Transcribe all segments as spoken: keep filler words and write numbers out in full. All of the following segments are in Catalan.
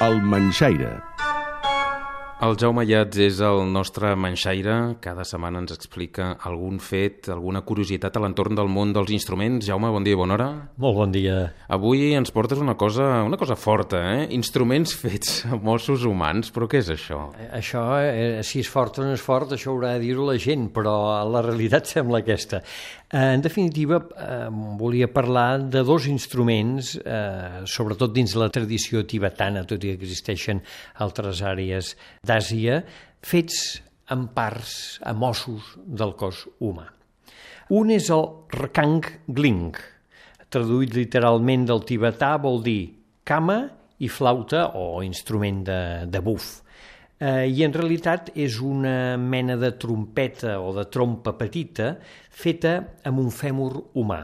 El Manxaire. El Jaume Ayats és el nostre manxaire. Cada setmana ens explica algun fet, alguna curiositat a l'entorn del món dels instruments. Jaume, bon dia i bona hora. Molt bon dia. Avui ens portes una cosa, una cosa forta, eh? Instruments fets amb ossos humans, però què és això? Això, eh, si és fort o no és fort, això haurà de dir-ho la gent, però la realitat sembla aquesta. Eh, en definitiva, eh, volia parlar de dos instruments, eh, sobretot dins la tradició tibetana, tot i que existeixen altres àrees d'Àsia, fets amb parts, amb ossos del cos humà. Un és el Rekang Gling, traduït literalment del tibetà vol dir cama i flauta o instrument de, de buf. Eh, I en realitat és una mena de trompeta o de trompa petita feta amb un fèmur humà.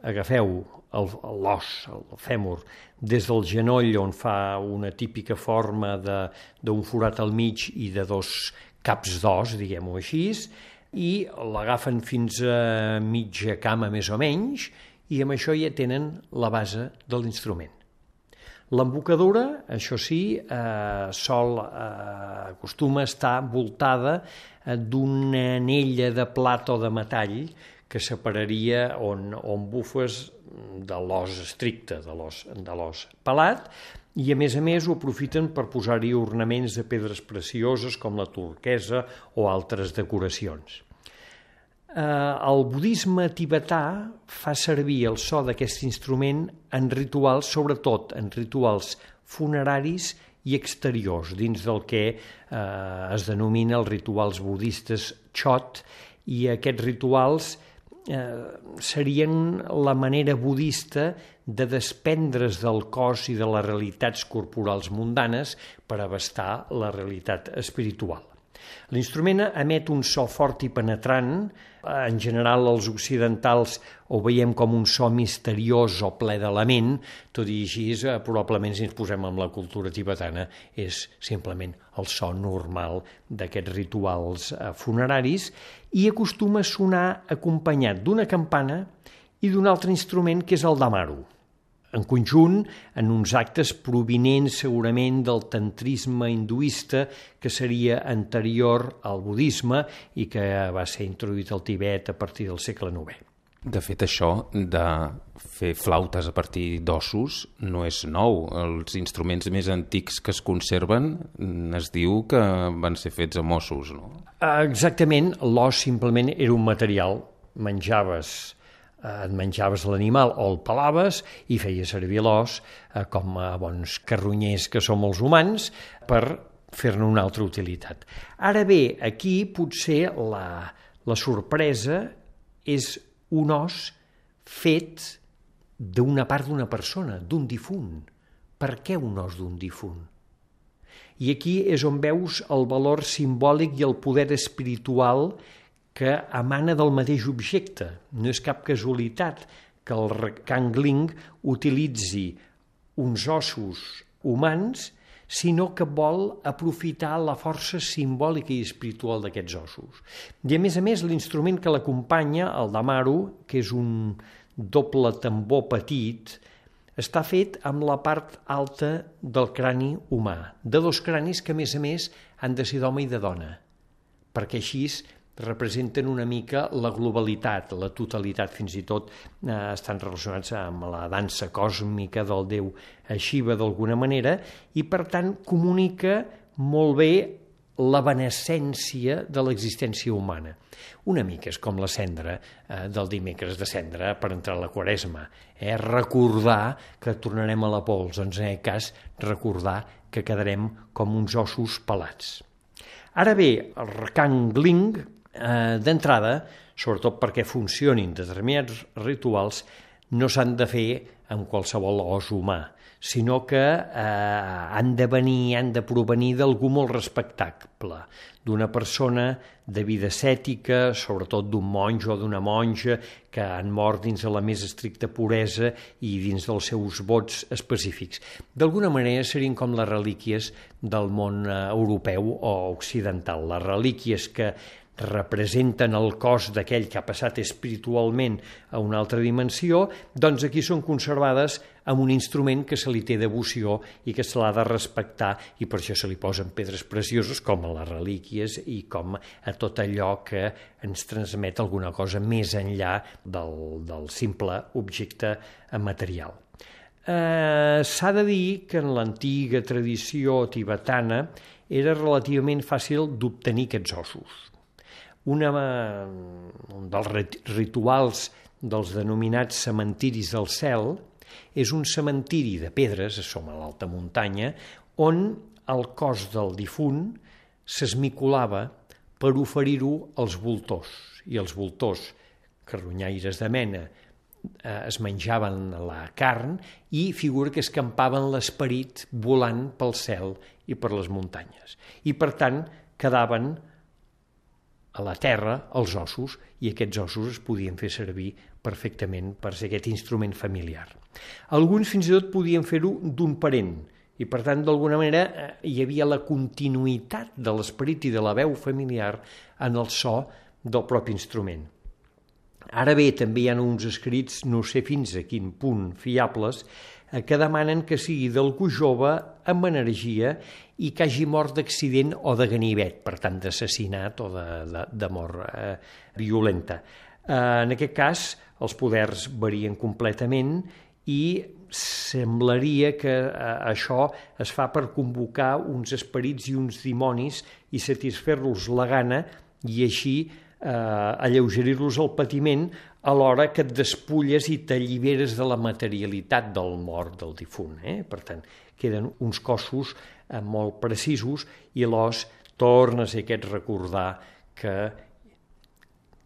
Agafeu l'os, el fèmur, des del genoll on fa una típica forma d'un forat al mig i de dos caps d'os, diguem-ho així, i l'agafen fins a mitja cama més o menys i amb això ja tenen la base de l'instrument. L'embocadura, això sí, eh, sol eh, acostuma a estar voltada eh, d'una anella de plata o de metall que separaria on, on bufes de l'os estricte, de l'os de l'os pelat, i a més a més ho aprofiten per posar-hi ornaments de pedres precioses com la turquesa o altres decoracions. Eh, el budisme tibetà fa servir el so d'aquest instrument en rituals, sobretot en rituals funeraris i exteriors, dins del que eh, es denomina els rituals budistes Chot, i aquests rituals eh, serien la manera budista de desprendre's del cos i de les realitats corporals mundanes per abastar la realitat espiritual. L'instrument emet un so fort i penetrant. En general, els occidentals ho veiem com un so misteriós o ple de lament, tot i així, probablement, si ens posem amb la cultura tibetana, és simplement el so normal d'aquests rituals funeraris i acostuma a sonar acompanyat d'una campana i d'un altre instrument que és el damaru. En conjunt, en uns actes provinents segurament del tantrisme hinduista que seria anterior al budisme i que va ser introduït al Tibet a partir del segle novè. De fet, això de fer flautes a partir d'ossos no és nou. Els instruments més antics que es conserven es diu que van ser fets amb ossos, no? Exactament, l'os simplement era un material. Menjaves et menjaves l'animal o el pelaves i feies servir l'os eh, com a bons carronyers que som els humans per fer-ne una altra utilitat. Ara bé, aquí potser la, la sorpresa és un os fet d'una part d'una persona, d'un difunt. Per què un os d'un difunt? I aquí és on veus el valor simbòlic i el poder espiritual que emana del mateix objecte. No és cap casualitat que el Rekang Gling utilitzi uns ossos humans, sinó que vol aprofitar la força simbòlica i espiritual d'aquests ossos. I a més a més, l'instrument que l'acompanya, el damaru, que és un doble tambor petit, està fet amb la part alta del crani humà, de dos cranis que a més a més han de ser d'home i de dona, perquè així representen una mica la globalitat, la totalitat, fins i tot eh, estan relacionats amb la dansa còsmica del déu Shiva d'alguna manera, i per tant comunica molt bé la benescència de l'existència humana. Una mica és com la cendra eh, del dimecres de cendra per entrar a la Quaresma. Eh? Recordar que tornarem a la pols, doncs en aquest cas recordar que quedarem com uns ossos pelats. Ara bé, el Rekang Gling, eh, d'entrada, sobretot perquè funcionin determinats rituals, no s'han de fer amb qualsevol os humà, sinó que eh, han de venir, han de provenir d'algú molt respectable, d'una persona de vida ascètica, sobretot d'un monjo o d'una monja que han mort dins de la més estricta puresa i dins dels seus vots específics. D'alguna manera serien com les relíquies del món europeu o occidental, les relíquies que representen el cos d'aquell que ha passat espiritualment a una altra dimensió, doncs aquí són conservades amb un instrument que se li té devoció i que se l'ha de respectar, i per això se li posen pedres precioses com a les relíquies i com a tot allò que ens transmet alguna cosa més enllà del, del simple objecte material. Eh, s'ha de dir que en l'antiga tradició tibetana era relativament fàcil d'obtenir aquests ossos. Una, un dels rituals dels denominats cementiris del cel és un cementiri de pedres, som a l'alta muntanya, on el cos del difunt s'esmicolava per oferir-ho als voltors, i els voltors, carronyaires de mena, es menjaven la carn i figura que escampaven l'esperit volant pel cel i per les muntanyes. I per tant quedaven a la terra els ossos, i aquests ossos es podien fer servir perfectament per ser aquest instrument familiar. Alguns fins i tot podien fer-ho d'un parent, i per tant d'alguna manera hi havia la continuïtat de l'esperit i de la veu familiar en el so del propi instrument. Ara bé, també hi ha uns escrits, no sé fins a quin punt fiables, que demanen que sigui d'algú jove amb energia i que hagi mort d'accident o de ganivet, per tant d'assassinat o de, de, de mort eh, violenta. Eh, en aquest cas, els poders varien completament i semblaria que eh, això es fa per convocar uns esperits i uns dimonis i satisfer-los la gana i així eh, alleugerir-los el patiment alhora que et despulles i t'alliberes de la materialitat del mort del difunt. Eh? Per tant, queden uns cossos eh, molt precisos i l'os torna a ser aquest recordar que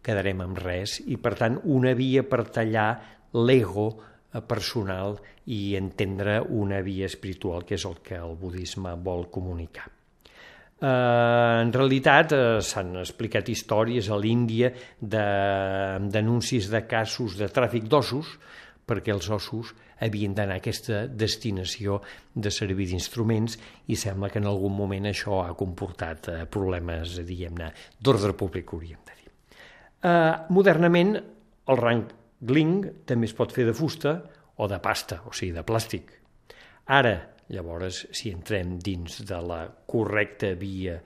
quedarem amb res i, per tant, una via per tallar l'ego personal i entendre una via espiritual, que és el que el budisme vol comunicar. Eh, en realitat eh, s'han explicat històries a l'Índia de, d'anuncis de casos de tràfic d'ossos, perquè els ossos havien d'anar a aquesta destinació de servir d'instruments, i sembla que en algun moment això ha comportat eh, problemes, diguem-ne, d'ordre públic, hauríem de dir. Eh, modernament, el wrangling també es pot fer de fusta o de pasta, o sigui, de plàstic. Ara, llavors, si entrem dins de la correcta via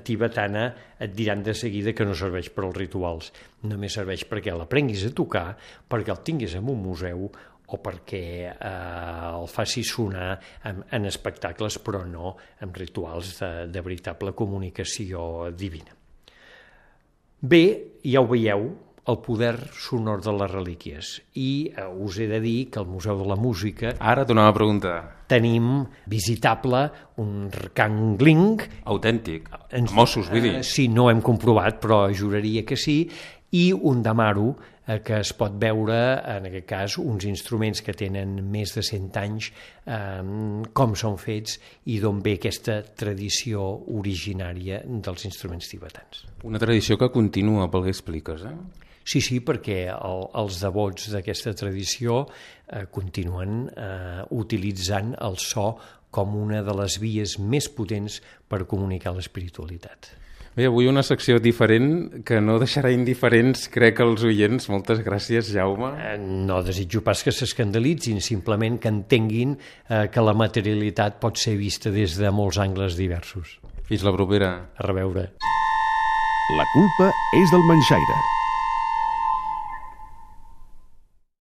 tibetana, et diran de seguida que no serveix per als rituals, només serveix perquè l'aprenguis a tocar, perquè el tinguis en un museu o perquè eh, el facis sonar en, en espectacles, però no en rituals de, de veritable comunicació divina. Bé, ja ho veieu, el poder sonor de les relíquies. I eh, us he de dir que al Museu de la Música... Ara t'anava a preguntar. Tenim visitable un rkangling... Autèntic, ens, amb ossos, vull dir. Eh, sí, no hem comprovat, però juraria que sí, i un damaru, eh, que es pot veure, en aquest cas, uns instruments que tenen més de cent anys, eh, com són fets i d'on ve aquesta tradició originària dels instruments tibetans. Una tradició que continua, pel que expliques, eh? Sí, sí, perquè el, els devots d'aquesta tradició eh, continuen eh, utilitzant el so com una de les vies més potents per comunicar l'espiritualitat. Bé, avui una secció diferent que no deixarà indiferents, crec, els oients. Moltes gràcies, Jaume. Eh, no desitjo pas que s'escandalitzin, simplement que entenguin eh, que la materialitat pot ser vista des de molts angles diversos. Fins la propera. A reveure. La culpa és del manxaire.